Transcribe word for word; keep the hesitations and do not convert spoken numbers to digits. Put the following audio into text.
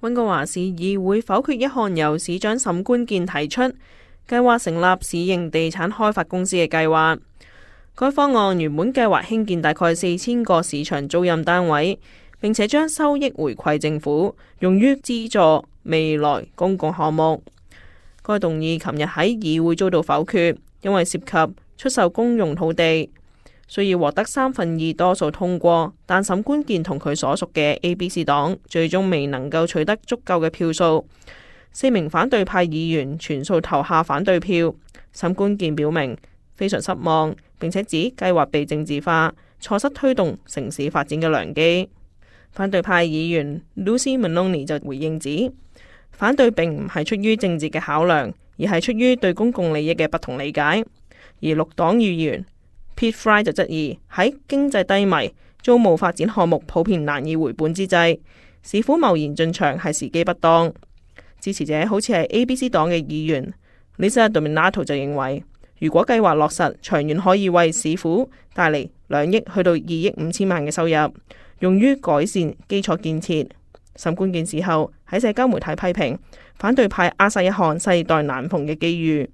溫哥華市議會否決一項由市長沈官健提出，計劃成立市營地產開發公司嘅計劃。該方案原本計劃興建大概四千個市場租賃單位，並且將收益回饋政府，用於資助未來公共項目。該動議琴日喺議會遭到否決，因為涉及出售公用土地，需要獲得三分二多數通過。但沈官健同佢所屬嘅 A B C 黨最終未能夠取得足夠嘅票數，四名反對派議員全數投下反對票。沈官健表明非常失望，並且指計劃被政治化，錯失推動城市發展嘅良機。反對派議員 Lucy Maloney 就回應指，反對並唔係出於政治嘅考量，而係出於對公共利益嘅不同理解。而綠黨議員 Pete Fry 就質疑，喺經濟低迷、租務發展項目普遍難以回本之際，市府貿然進場係時機不當。支持者好似係 A B C 黨嘅議員 Lisa Dominato 就認為，如果計劃落實，長遠可以為市府帶嚟兩億去到二億五千萬嘅收入，用於改善基礎建設。沈官健事後喺社交媒體批評反對派扼殺一項世代難逢嘅機遇。